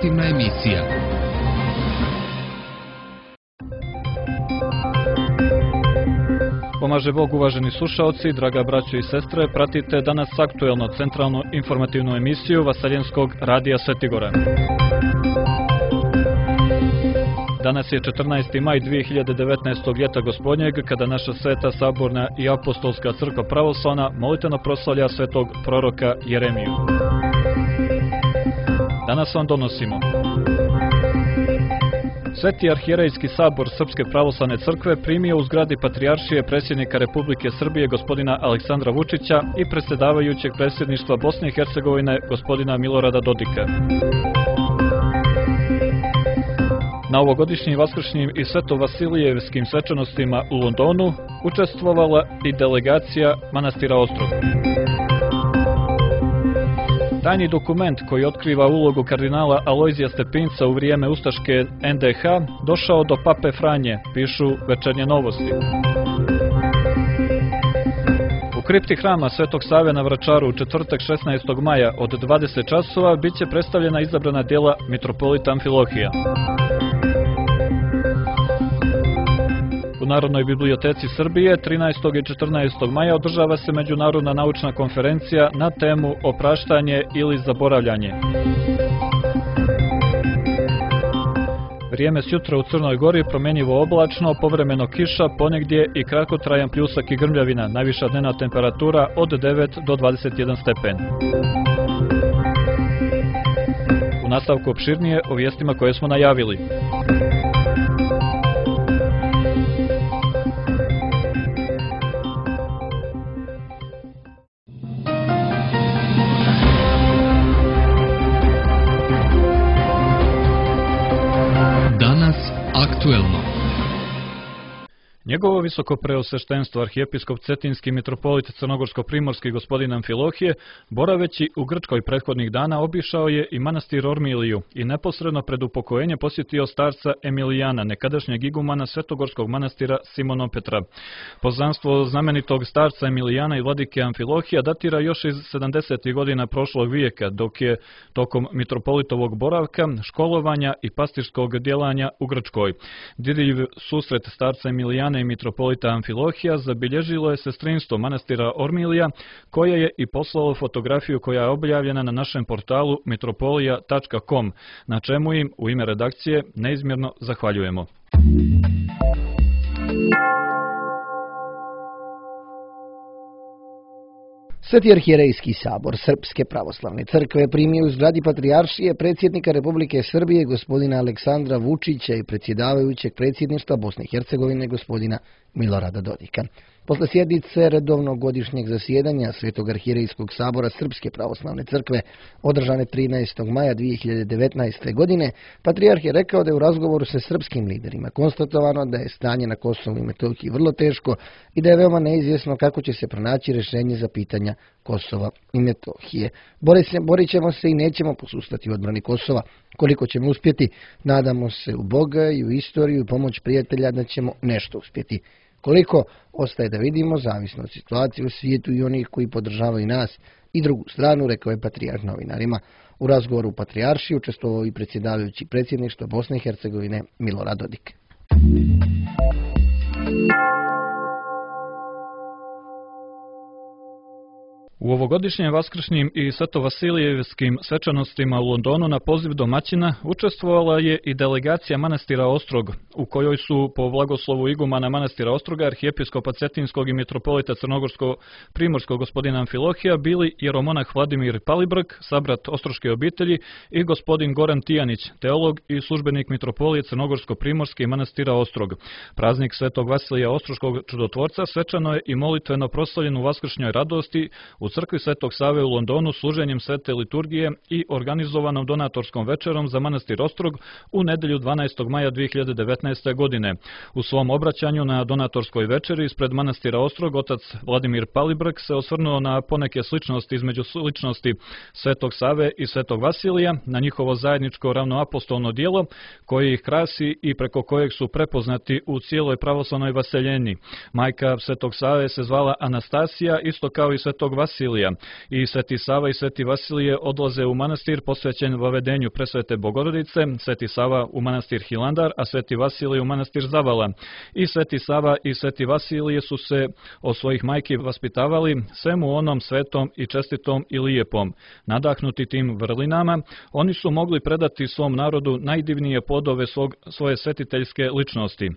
informativna emisija. Pomaže Bog, uvaženi slušaoci, draga braćo i sestre, pratite danas aktuelno centralnu informativnu emisiju Vaseljenskog radija Svetigora. Danas je 14. maj 2019. ljeta gospodnjeg, kada naša sveta saborna i apostolska crkva pravoslavna molitveno proslavlja svetog proroka Jeremiju. Danas vam donosimo Sveti arhijerejski sabor Srpske pravoslavne crkve primio u zgradi Patrijaršije predsjednika Republike Srbije gospodina Aleksandra Vučića i predsjedavajućeg predsjedništva Bosne i Hercegovine gospodina Milorada Dodika. Na ovogodišnjim vaskršnjim i svetovasilijevskim svečanostima u Londonu učestvovala i delegacija manastira Ostrog. Tajni dokument koji otkriva ulogu kardinala Alojzija Stepinca u vrijeme ustaške NDH došao do Pape Franje, pišu Večernje novosti. U kripti hrama Svetog Save na Vračaru u četvrtak 16. maja od 20 časova biće predstavljena izabrana djela mitropolita Amfilohija. U Narodnoj biblioteci Srbije 13. i 14. maja održava se međunarodna naučna konferencija na temu Opraštanje ili zaboravljanje. Vrijeme sjutra u Crnoj Gori promjenjivo oblačno, povremeno kiša, ponegdje i kratkotrajan pljusak i grmljavina, najviša dnevna temperatura od 9 do 21 stepen. U nastavku opširnije o vijestima koje smo najavili. Aktuelno. Njegovo visoko preosveštenstvo arhijepiskop Cetinski mitropolit Crnogorsko-primorski gospodin Amfilohije, boraveći u Grčkoj prethodnih dana, obišao je i manastir Ormiliju i neposredno pred upokojenje posjetio starca Emilijana, nekadašnjeg igumana Svetogorskog manastira Simonom Petra. Poznanstvo znamenitog starca Emilijana i vladike Amfilohija datira još iz 70. godina prošlog vijeka, dok je tokom mitropolitovog boravka, školovanja i pastirskog djelanja u Grčkoj. Dirljiv susret starca Emilijana i mitropolita Amfilohija zabilježilo je sestrinstvo manastira Ormilija, koje je i poslalo fotografiju koja je objavljena na našem portalu mitropolija.com, na čemu im u ime redakcije neizmjerno zahvaljujemo. Sveti arhijerejski sabor Srpske pravoslavne crkve primio u zgradi Patrijaršije predsjednika Republike Srbije gospodina Aleksandra Vučića i predsjedavajućeg predsjedništva Bosne i Hercegovine gospodina Milorada Dodika. Posle sjednice redovnog godišnjeg zasjedanja Svetog arhijerejskog sabora Srpske pravoslavne crkve održane 13. maja 2019. godine, Patrijarh je rekao da je u razgovoru sa srpskim liderima konstatovano da je stanje na Kosovu i Metohiji vrlo teško i da je veoma neizvjesno kako će se pronaći rješenje za pitanja Kosova i Metohije. Borit ćemo se i nećemo posustati u odbrani Kosova. Koliko ćemo uspjeti, nadamo se u Boga i u istoriju i pomoć prijatelja da ćemo nešto uspjeti. Koliko, ostaje da vidimo, zavisno od situacije u svijetu i onih koji podržavaju nas i drugu stranu, rekao je Patrijarh novinarima. U razgovoru u Patrijaršiji učestvovao i predsjedavajući predsjedništva Bosne i Hercegovine Milorad Dodik. U ovogodišnjim vaskršnjim i svetovasilijevskim svečanostima u Londonu na poziv domaćina učestvovala je i delegacija manastira Ostrog, u kojoj su po blagoslovu igumana manastira Ostroga, arhijepiskopa Cetinskog i mitropolita Crnogorsko-primorskog gospodina Amfilohija bili jeromonah Vladimir Palibrk, sabrat ostroške obitelji, i gospodin Goran Tijanić, teolog i službenik mitropolije Crnogorsko-primorske i manastira Ostrog. Praznik Svetog Vasilija Ostroškog čudotvorca svečano je i molitveno proslavljen u vaskršnjoj radosti u crkvi Svetog Save u Londonu služenjem svete liturgije i organizovanom donatorskom večerom za manastir Ostrog u nedjelju 12. maja 2019. godine. U svom obraćanju na donatorskoj večeri ispred manastira Ostrog otac Vladimir Palibrk se osvrnuo na poneke sličnosti između sličnosti Svetog Save i Svetog Vasilija, na njihovo zajedničko ravnoapostolno djelo koje ih krasi i preko kojeg su prepoznati u cijeloj pravoslavnoj vaseljeni. Majka Svetog Save se zvala Anastasija, isto kao i Svetog Vasilija Vasilija. I Sveti Sava i Sveti Vasilije odlaze u manastir posvećen vavedenju Presvete Bogorodice, Sveti Sava u manastir Hilandar, a Sveti Vasilije u manastir Zavala. I Sveti Sava i Sveti Vasilije su se od svojih majki vaspitavali svemu onom svetom i čestitom i lijepom. Nadahnuti tim vrlinama, oni su mogli predati svom narodu najdivnije plodove svoje svetiteljske ličnosti.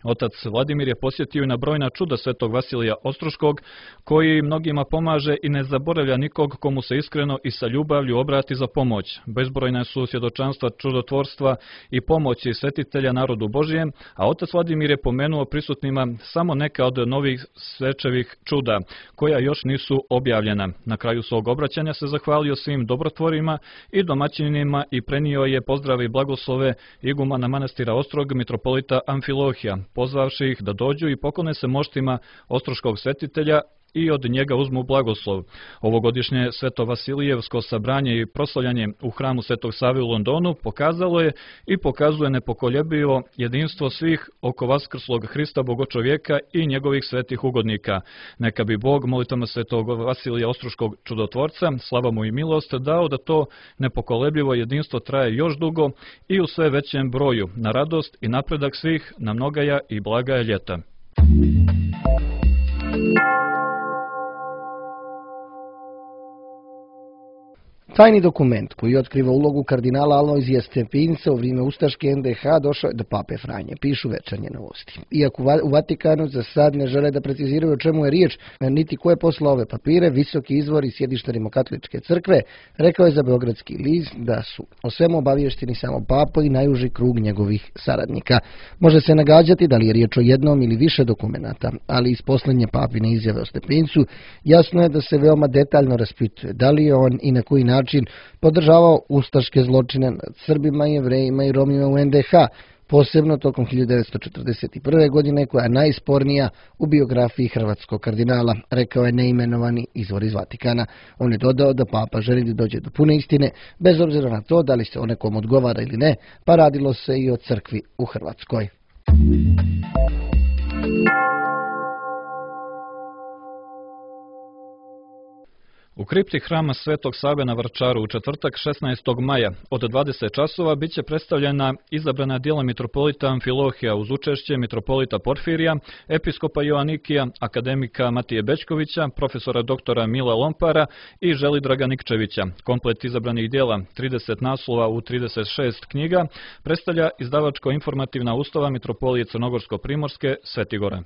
Otac Vladimir je posjetio i na brojna čuda svetog Vasilija Ostroškog, koji mnogima pomaže i ne zaboravlja nikog komu se iskreno i sa ljubavlju obrati za pomoć. Bezbrojne su svjedočanstva čudotvorstva i pomoći svetitelja narodu Božijem, a otac Vladimir je pomenuo prisutnima samo neka od novih svečevih čuda, koja još nisu objavljena. Na kraju svog obraćanja se zahvalio svim dobrotvorima i domaćinima i prenio je pozdrave i blagoslove igumana manastira Ostrog, mitropolita Amfilohija, pozvavši ih da dođu i poklone se moštima ostroškog svetitelja i od njega uzmu blagoslov. Ovogodišnje Sveto Vasilijevsko sabranje i proslavljanje u hramu Svetog Save u Londonu pokazalo je i pokazuje nepokoljebivo jedinstvo svih oko vaskrslog Hrista Bogočovjeka i njegovih svetih ugodnika. Neka bi Bog molitvama Svetog Vasilija Ostroškog čudotvorca, slava mu i milost, dao da to nepokolebljivo jedinstvo traje još dugo i u sve većem broju, na radost i napredak svih, na mnogaja i blagaja ljeta. Tajni dokument koji otkriva ulogu kardinala Alojzija Stepinca u vrijeme ustaške NDH došao je do pape Franje, pišu Večernje novosti. Iako u Vatikanu za sad ne žele da preciziraju o čemu je riječ, niti ko je poslao ove papire, visoki izvor i sjedište Rimokatoličke crkve rekao je za Beogradski list da su o svemu obavješteni samo papa i najuži krug njegovih saradnika. Može se nagađati da li je riječ o jednom ili više dokumenata, ali iz posljednje papine izjave o Stepincu jasno je da se veoma detaljno raspituje da li je on i na koji način podržavao ustaške zločine nad Srbima, Jevrejima i Romima u NDH, posebno tokom 1941. godine, koja je najspornija u biografiji hrvatskog kardinala, rekao je neimenovani izvor iz Vatikana. On je dodao da papa želi da dođe do pune istine, bez obzira na to da li se o nekom odgovara ili ne, pa radilo se i o crkvi u Hrvatskoj. U kripti hrama Svetog Save na Vrčaru u četvrtak 16. maja od 20 časova bit će predstavljena izabrana djela mitropolita Amfilohija uz učešće mitropolita Porfirija, episkopa Joanikija, akademika Matije Bećkovića, profesora doktora Mila Lompara i Želidraga Nikčevića. Komplet izabranih djela, 30 naslova u 36 knjiga, predstavlja izdavačko-informativna ustava mitropolije Crnogorsko-Primorske Svetigora.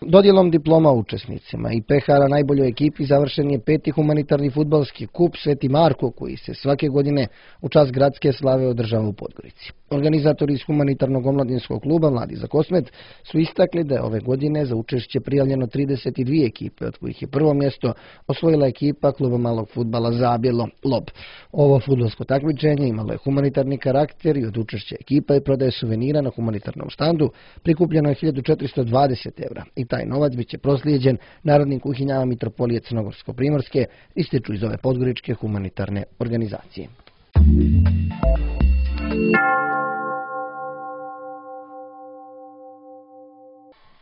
Dodjelom diploma učesnicima i pehara najboljoj ekipi završen je 5. humanitarni fudbalski kup Sveti Marko, koji se svake godine u čast gradske slave održava u Podgorici. Organizatori iz humanitarnog omladinskog kluba Mladi za Kosmet su istakli da je ove godine za učešće prijavljeno 32 ekipe, od kojih je prvo mjesto osvojila ekipa kluba malog fudbala Zabjelo Lob. Ovo fudbalsko takmičenje imalo je humanitarni karakter i od učešća ekipa i prodaje suvenira na humanitarnom štandu prikupljeno je 1420 evra i taj novac bit će proslijeđen narodnim kuhinjama mitropolije Crnogorsko-Primorske, ističu iz ove podgoričke humanitarne organizacije.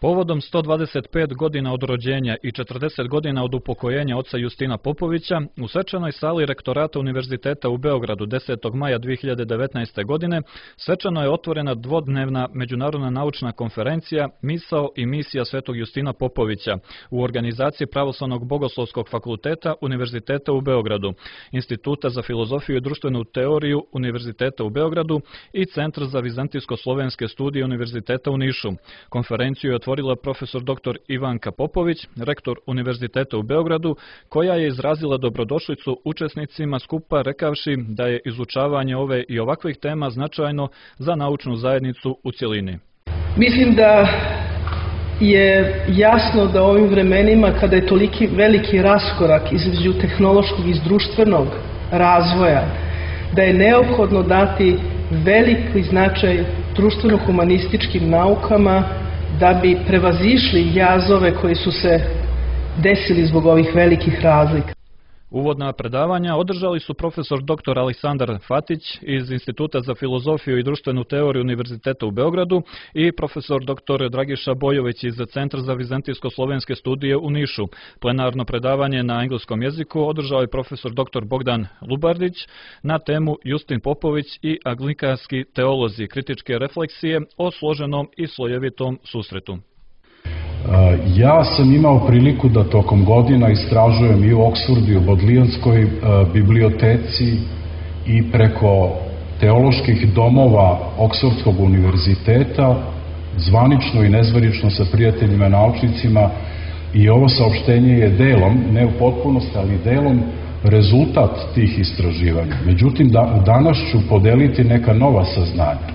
Povodom 125 godina od rođenja i 40 godina od upokojenja oca Justina Popovića, u svečanoj sali Rektorata Univerziteta u Beogradu 10. maja 2019. godine svečano je otvorena dvodnevna međunarodna naučna konferencija Misao i misija Svetog Justina Popovića u organizaciji Pravoslavnog bogoslovskog fakulteta Univerziteta u Beogradu, Instituta za filozofiju i društvenu teoriju Univerziteta u Beogradu i Centra za vizantijsko-slovenske studije Univerziteta u Nišu. Konferenciju je otvorila profesor dr. Ivanka Popović, rektor Univerziteta u Beogradu, koja je izrazila dobrodošlicu učesnicima skupa rekavši da je izučavanje ove i ovakvih tema značajno za naučnu zajednicu u cjelini. Mislim da je jasno da u ovim vremenima kada je toliki veliki raskorak između tehnološkog i društvenog razvoja, da je neophodno dati veliki značaj društveno-humanističkim naukama da bi prevazišli jazove koji su se desili zbog ovih velikih razlika. Uvodna predavanja održali su profesor dr. Aleksandar Fatić iz Instituta za filozofiju i društvenu teoriju Univerziteta u Beogradu i profesor dr. Dragiša Bojović iz Centra za vizantijsko-slovenske studije u Nišu. Plenarno predavanje na engleskom jeziku održao je profesor dr. Bogdan Lubardić na temu Justin Popović i anglikanski teolozi, kritičke refleksije o složenom i slojevitom susretu. Ja sam imao priliku da tokom godina istražujem i u Oksfordu i u Bodleianskoj biblioteci i preko teoloških domova Oksfordskog univerziteta, zvanično i nezvanično sa prijateljima naučnicima, i ovo saopštenje je delom, ne u potpunosti, ali delom rezultat tih istraživanja. Međutim, danas ću podeliti neka nova saznanja.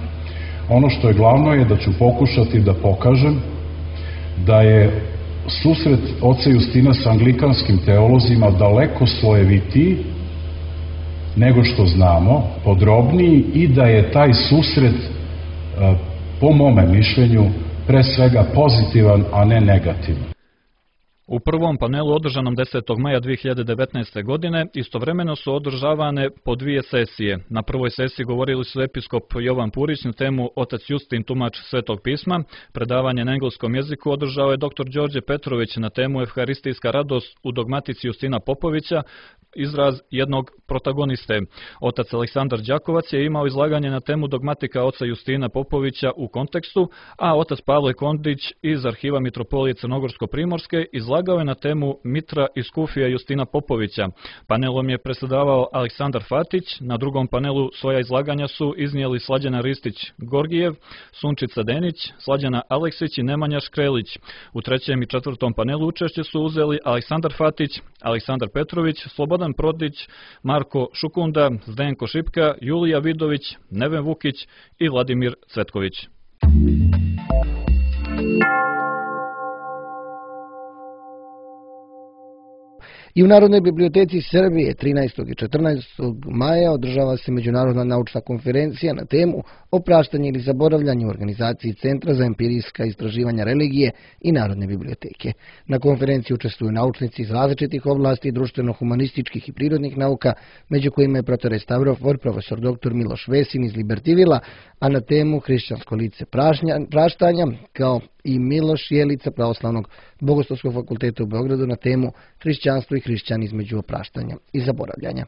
Ono što je glavno je da ću pokušati da pokažem da je susret oca Justina sa anglikanskim teolozima daleko slojevitiji nego što znamo, podrobniji, i da je taj susret, po mome mišljenju, pre svega pozitivan, a ne negativan. U prvom panelu održanom 10. maja 2019. godine istovremeno su održavane po dvije sesije. Na prvoj sesiji govorili su episkop Jovan Purić na temu Otac Justin, tumač Svetog pisma. Predavanje na engleskom jeziku održao je dr. Đorđe Petrović na temu Evharistijska radost u dogmatici Justina Popovića, izraz jednog protagoniste. Otac Aleksandar Đakovac je imao izlaganje na temu dogmatika oca Justina Popovića u kontekstu, a otac Pavle Kondić iz Arhiva Mitropolije Crnogorsko-Primorske izlagao je na temu Mitra i skufija Justina Popovića. Panelom je predsedavao Aleksandar Fatić, na drugom panelu svoja izlaganja su iznijeli Slađana Ristić-Gorgijev, Sunčica Denić, Slađana Aleksić i Nemanja Škrelić. U trećem i četvrtom panelu učešće su uzeli Aleksandar Fatić, Aleksandar Petrović, Slobodan Prodić, Marko Šukunda, Zdenko Šipka, Julija Vidović, Neven Vukić i Vladimir Cvetković. I u Narodnoj biblioteci Srbije 13. i 14. maja održava se međunarodna naučna konferencija na temu Opraštanje ili zaboravljanje u organizaciji Centra za empirijska istraživanja religije i Narodne biblioteke. Na konferenciji učestvuju naučnici iz različitih oblasti društveno-humanističkih i prirodnih nauka, među kojima je protorestavrofor profesor dr. Miloš Vesin iz Libertivila, a na temu Hrišćansko lice praštanja, kao i Miloš Jelica Pravoslavnog Bogoslovskog fakulteta u Beogradu na temu Hrišćanstvo i hrišćani između opraštanja i zaboravljanja.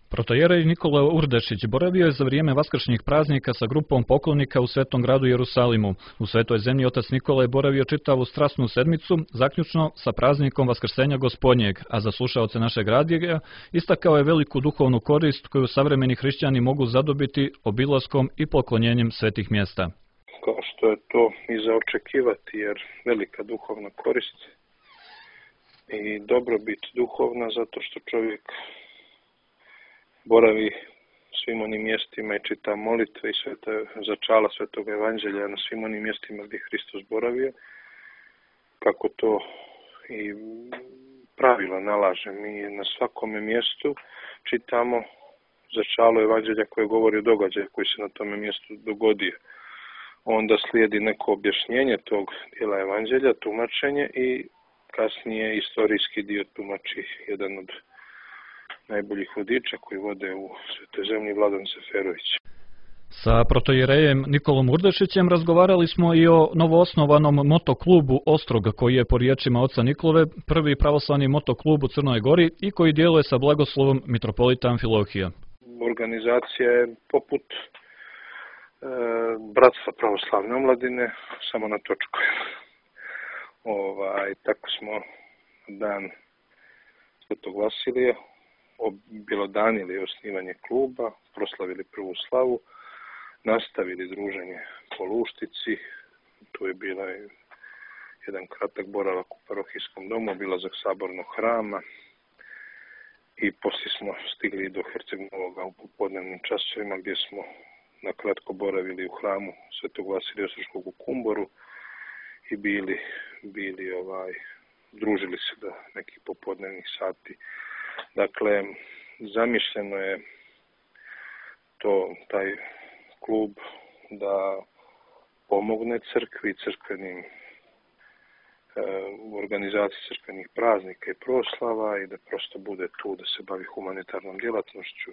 Protojerej Nikola Urdešić boravio je za vrijeme vaskršnjih praznika sa grupom poklonika u Svetom gradu Jerusalimu. U Svetoj zemlji otac Nikola je boravio čitavu strasnu sedmicu, zaključno sa praznikom Vaskrsenja Gospodnjeg, a za slušaoce našeg radija istakao je veliku duhovnu korist koju savremeni hrišćani mogu zadobiti obilaskom i poklonjenjem svetih mjesta. Kao što je to i za očekivati, jer velika duhovna korist i dobrobit duhovna, zato što čovjek boravi svim onim mjestima i čita molitve i začala Svetog evanđelja na svim onim mjestima gdje Hristos boravio, kako to i pravilo nalaže. Mi na svakome mjestu čitamo začalo evanđelja koje govori o događaju koji se na tome mjestu dogodio. Onda slijedi neko objašnjenje tog dijela evanđelja, tumačenje, i kasnije istorijski dio tumači jedan od najboljih vodiča koji vode u Svetoj zemlji, Vladan Seferović. Sa protojerejem Nikolom Urdešićem razgovarali smo i o novoosnovanom motoklubu Ostrog, koji je po riječima oca Nikole prvi pravoslavni motoklub u Crnoj Gori i koji djeluje sa blagoslovom mitropolita Amfilohija. Organizacija je poput Bratstva pravoslavne omladine, samo na točku. Tako smo dan Svetog Vasilija objelodanili osnivanje kluba, proslavili prvu slavu, nastavili druženje po Luštici. Tu je bila jedan kratak boravak u parohijskom domu, obilazak sabornog hrama i poslije smo stigli do Herceg-Novoga u popodnevnim časovima, gdje smo na kratko boravili u hramu Svetog Vasilija Ostroškog u Kumboru i družili se do nekih popodnevnih sati. Dakle, zamišljeno je taj klub da pomogne crkvi i crkvenim u organizaciji crkvenih praznika i proslava i da prosto bude tu da se bavi humanitarnom djelatnošću.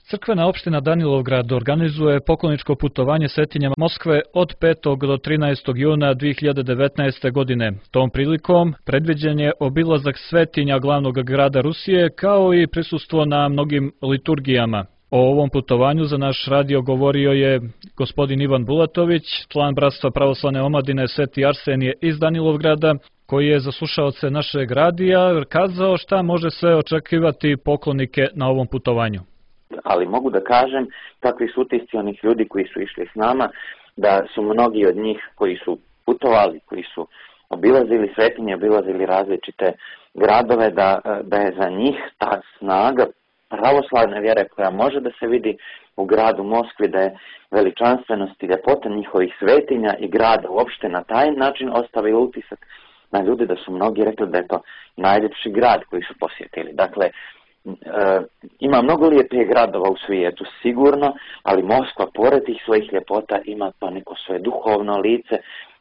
Crkvena opština Danilovgrad organizuje pokloničko putovanje svetinja Moskve od 5. do 13. juna 2019. godine. Tom prilikom predviđen je obilazak svetinja glavnog grada Rusije kao i prisustvo na mnogim liturgijama. O ovom putovanju za naš radio govorio je gospodin Ivan Bulatović, član Bratstva pravoslavne omladine Sveti Arsenije iz Danilovgrada, koji je za slušaoce našeg radija kazao šta može sve očekivati poklonike na ovom putovanju. Ali mogu da kažem, takvi su utisci onih ljudi koji su išli s nama, da su mnogi od njih koji su putovali, koji su obilazili svetinje, obilazili različite gradove, da je za njih ta snaga pravoslavne vjere koja može da se vidi u gradu Moskvi, da je veličanstvenost i ljepota njihovih svetinja i grada uopšte na taj način ostavio utisak na ljudi, da su mnogi rekli da je to najljepši grad koji su posjetili. Dakle, ima mnogo lijepih gradova u svijetu, sigurno, ali Moskva, pored tih svojih ljepota, ima to neko svoje duhovno lice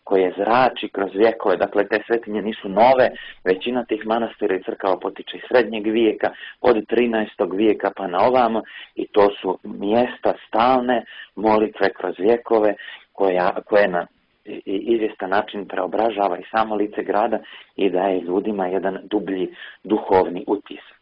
koje zrači kroz vjekove. Dakle, te svetinje nisu nove, većina tih manastira i crkava potiče iz srednjeg vijeka, od 13. vijeka pa na ovamo, i to su mjesta stalne molitve kroz vjekove koje na izvjestan način preobražava i samo lice grada i daje ljudima jedan dublji duhovni utisak.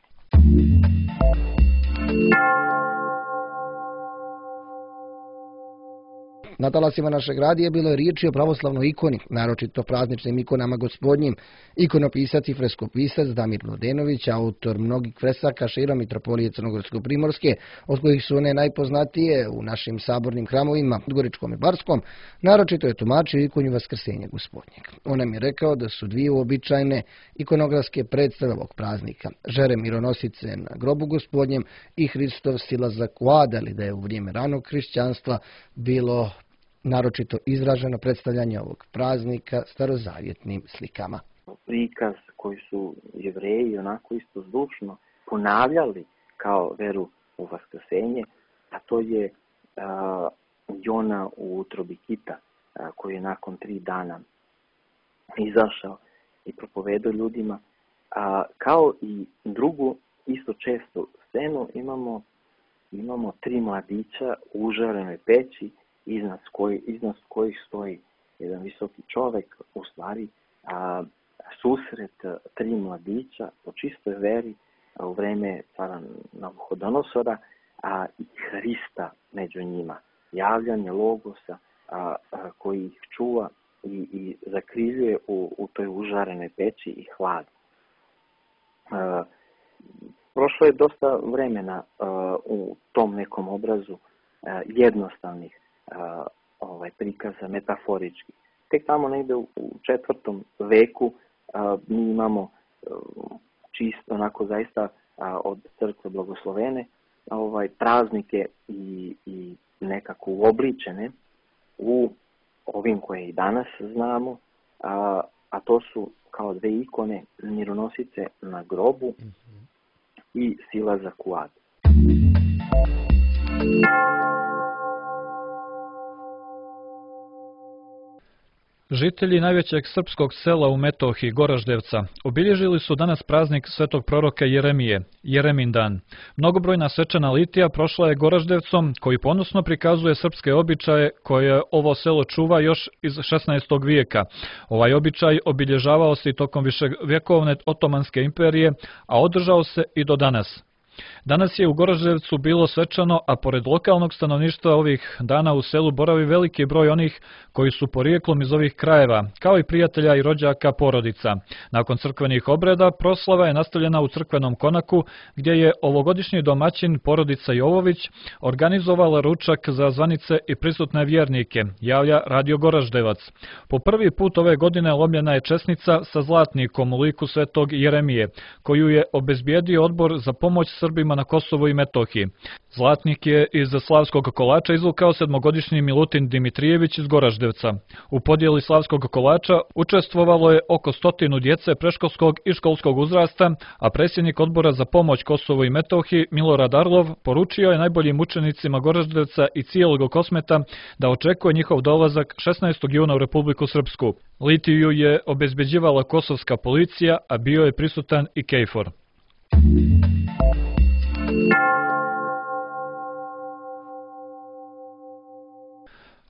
Na talasima našeg radija bilo je riječi o pravoslavnoj ikoni, naročito prazničnim ikonama Gospodnjim. Ikonopisac i freskopisac Damir Mladenović, autor mnogih fresaka širom mitropolije Crnogorsko-primorske, od kojih su one najpoznatije u našim sabornim hramovima, Goričkom i Barskom, naročito je tumačio ikonju Vaskrsenja Gospodnjeg. On nam je rekao da su dvije uobičajene ikonografske predstave ovog praznika, Žere mironosice na grobu Gospodnjem i Hristov silazak u ad, ali da je u vrijeme ranog hrišćanstva bilo naročito izraženo predstavljanje ovog praznika starozavjetnim slikama. Prikaz koji su Jevreji onako istozdušno ponavljali kao veru u Vaskrsenje, a to je Jona u utrobi kita, koji je nakon 3 dana izašao i propovedao ljudima. Kao i drugu isto čestu scenu imamo 3 mladića u užarenoj peći, iznad kojih stoji jedan visoki čovjek, u stvari susret 3 mladića po čistoj veri u vreme cara Navuhodonosora i Hrista među njima. Javljanje Logosa koji ih čuva i zakrivljuje u toj užarenoj peći i hladu. Prošlo je dosta vremena u tom nekom obrazu jednostavnih prikaza metaforički. Tek tamo negdje u 4. veku mi imamo čisto onako zaista od crkve blagoslovene praznike i nekako uobličene u ovim koje i danas znamo, a to su kao 2 ikone, mironosice na grobu i silazak u ad. Žitelji najvećeg srpskog sela u Metohiji, Goraždevca, obilježili su danas praznik svetog proroka Jeremije, Jeremindan. Mnogobrojna svečana litija prošla je Goraždevcom, koji ponosno prikazuje srpske običaje koje ovo selo čuva još iz 16. vijeka. Ovaj običaj obilježavao se i tokom viševjekovne Otomanske imperije, a održao se i do danas. Danas je u Goraždevcu bilo svečano, a pored lokalnog stanovništva ovih dana u selu boravi veliki broj onih koji su porijeklom iz ovih krajeva, kao i prijatelja i rođaka porodica. Nakon crkvenih obreda, proslava je nastavljena u crkvenom konaku, gdje je ovogodišnji domaćin porodica Jovović organizovala ručak za zvanice i prisutne vjernike, javlja Radio Goraždevac. Po prvi put ove godine lomljena je česnica sa zlatnikom u liku svetog Jeremije, koju je obezbijedio odbor za pomoć Srbima na Kosovu i Metohiji. Zlatnik je iz slavskog kolača izvukao 7-godišnji Milutin Dimitrijević iz Goraždevca. U podjeli slavskog kolača učestvovalo je oko 100 djece predškolskog i školskog uzrasta, a predsjednik odbora za pomoć Kosovu i Metohiji Milorad Arlov poručio je najboljim učenicima Goraždevca i cijelog Kosmeta da očekuje njihov dolazak 16. juna u Republiku Srpsku. Litiju je obezbeđivala kosovska policija, a bio je prisutan i KFOR.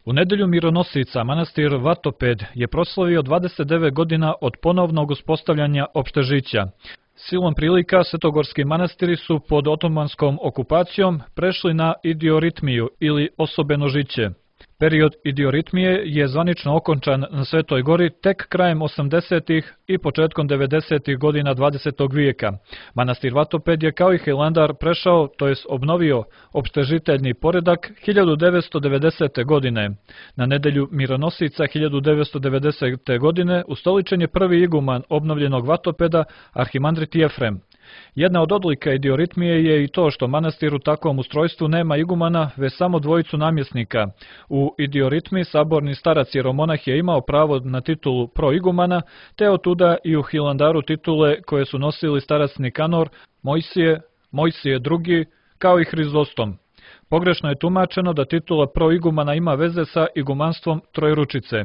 U nedelju Mironosica manastir Vatoped je proslavio 29 godina od ponovnog uspostavljanja opštežića. Silom prilika svetogorski manastiri su pod otomanskom okupacijom prešli na idioritmiju ili osobeno žiće. Period idioritmije je zvanično okončan na Svetoj gori tek krajem 80. i početkom 90. godina 20. vijeka. Manastir Vatoped je kao i Hilandar prešao, to jest obnovio opštežiteljni poredak 1990. godine. Na nedelju Mironosica 1990. godine ustoličen je prvi iguman obnovljenog Vatopeda, arhimandrit Jefrem. Jedna od odlika idioritmije je i to što manastir u takvom ustrojstvu nema igumana, već samo dvojicu namjesnika. U idioritmi saborni starac jeromonah je imao pravo na titulu proigumana, te otuda i u Hilandaru titule koje su nosili starac Nikanor, Mojsije II, kao i Hrizostom. Pogrešno je tumačeno da titula proigumana ima veze sa igumanstvom Trojručice.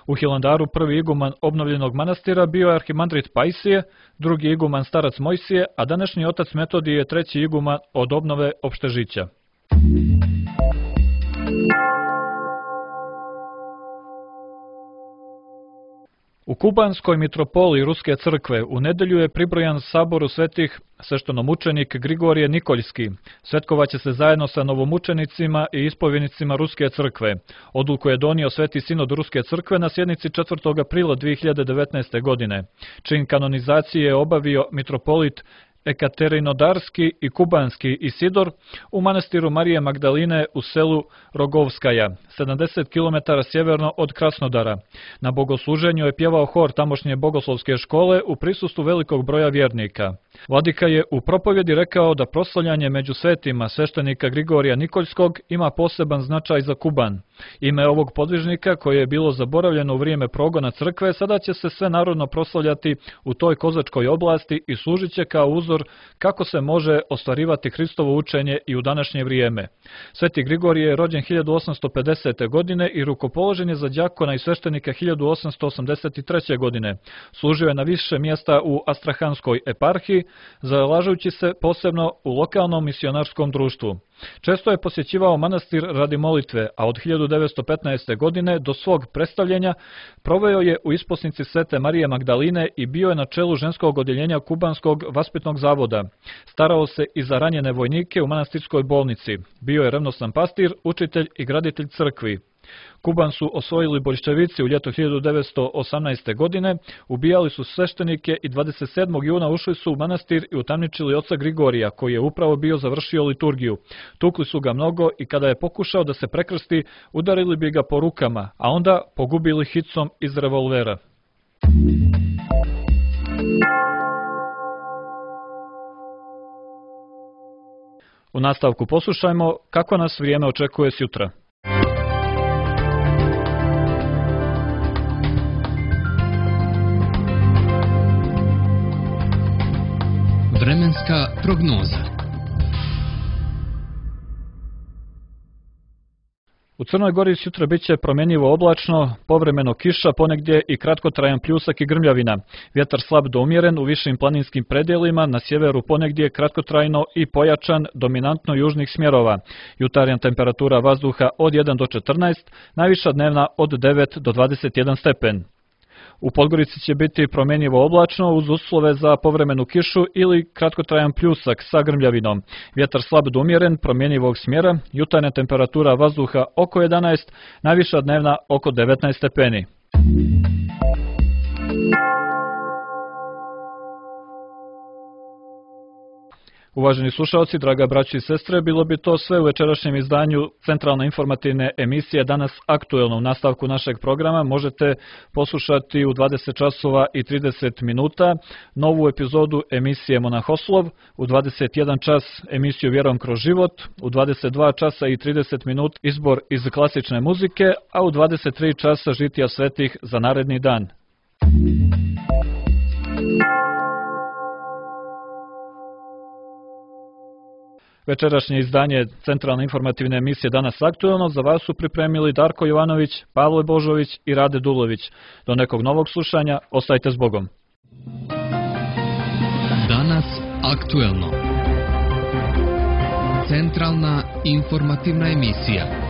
U Hilandaru prvi iguman obnovljenog manastira bio je arhimandrit Pajsije, drugi iguman starac Mojsije, a današnji otac Metodije je treći iguman od obnove opštežića. U kubanskoj mitropoliji Ruske crkve u nedelju je pribrojan saboru svetih sveštenomučenik Grigorije Nikoljski. Svetkovaće se zajedno sa novomučenicima i ispovjednicima Ruske crkve. Odluku je donio Sveti sinod Ruske crkve na sjednici 4. aprila 2019. godine. Čin kanonizacije je obavio mitropolit Ekaterinodarski i Kubanski Isidor u manastiru Marije Magdaline u selu Rogovskaja, 70 km sjeverno od Krasnodara. Na bogosluženju je pjevao hor tamošnje bogoslovske škole u prisustvu velikog broja vjernika. Vladika je u propovjedi rekao da proslavljanje među svetima sveštenika Grigorija Nikoljskog ima poseban značaj za Kuban. Ime ovog podvižnika, koje je bilo zaboravljeno u vrijeme progona crkve, sada će se sve narodno proslavljati u toj kozačkoj oblasti i služit će kao uzor kako se može ostvarivati Hristovo učenje i u današnje vrijeme. Sveti Grigorije je rođen 1850. godine i rukopoložen je za đakona i sveštenika 1883. godine. Služio je na više mjesta u Astrahanskoj eparhiji, zalažujući se posebno u lokalnom misionarskom društvu. Često je posjećivao manastir radi molitve, a od 1915. godine do svog predstavljenja proveo je u isposnici Svete Marije Magdaline i bio je na čelu ženskog odjeljenja Kubanskog vaspitnog zavoda. Starao se i za ranjene vojnike u manastirskoj bolnici. Bio je revnosan pastir, učitelj i graditelj crkvi. Kuban su osvojili boljševici u ljeto 1918. godine, ubijali su sveštenike i 27. juna ušli su u manastir i utamničili oca Grigorija, koji je upravo bio završio liturgiju. Tukli su ga mnogo i kada je pokušao da se prekrsti, udarili bi ga po rukama, a onda pogubili hicom iz revolvera. U nastavku poslušajmo kako nas vrijeme očekuje sjutra. Vremenska prognoza. U Crnoj Gori sutra bit će promjenjivo oblačno, povremeno kiša, ponegdje i kratkotrajan pljusak i grmljavina. Vjetar slab do umjeren u višim planinskim predjelima, na sjeveru ponegdje kratkotrajno i pojačan, dominantno južnih smjerova. Jutarnja temperatura vazduha od 1 do 14, najviša dnevna od 9 do 21 stepen. U Podgorici će biti promjenjivo oblačno uz uslove za povremenu kišu ili kratkotrajan pljusak sa grmljavinom. Vjetar slab do umjeren, promjenjivog smjera, jutarnja temperatura vazduha oko 11, najviša dnevna oko 19 stepeni. Uvaženi slušalci, draga braći i sestre, bilo bi to sve u večerašnjem izdanju centralne informativne emisije Danas aktuelno. U nastavku našeg programa možete poslušati u 20 časova i 30 minuta novu epizodu emisije Monahoslov, u 21 čas emisiju Vjerom kroz život, u 22 časa i 30 minuta izbor iz klasične muzike, a u 23 časa žitija svetih za naredni dan. Večerašnje izdanje centralne informativne emisije Danas aktuelno za vas su pripremili Darko Jovanović, Pavle Božović i Rade Dulović. Do nekog novog slušanja, ostajte s Bogom. Danas aktuelno. Centralna informativna emisija.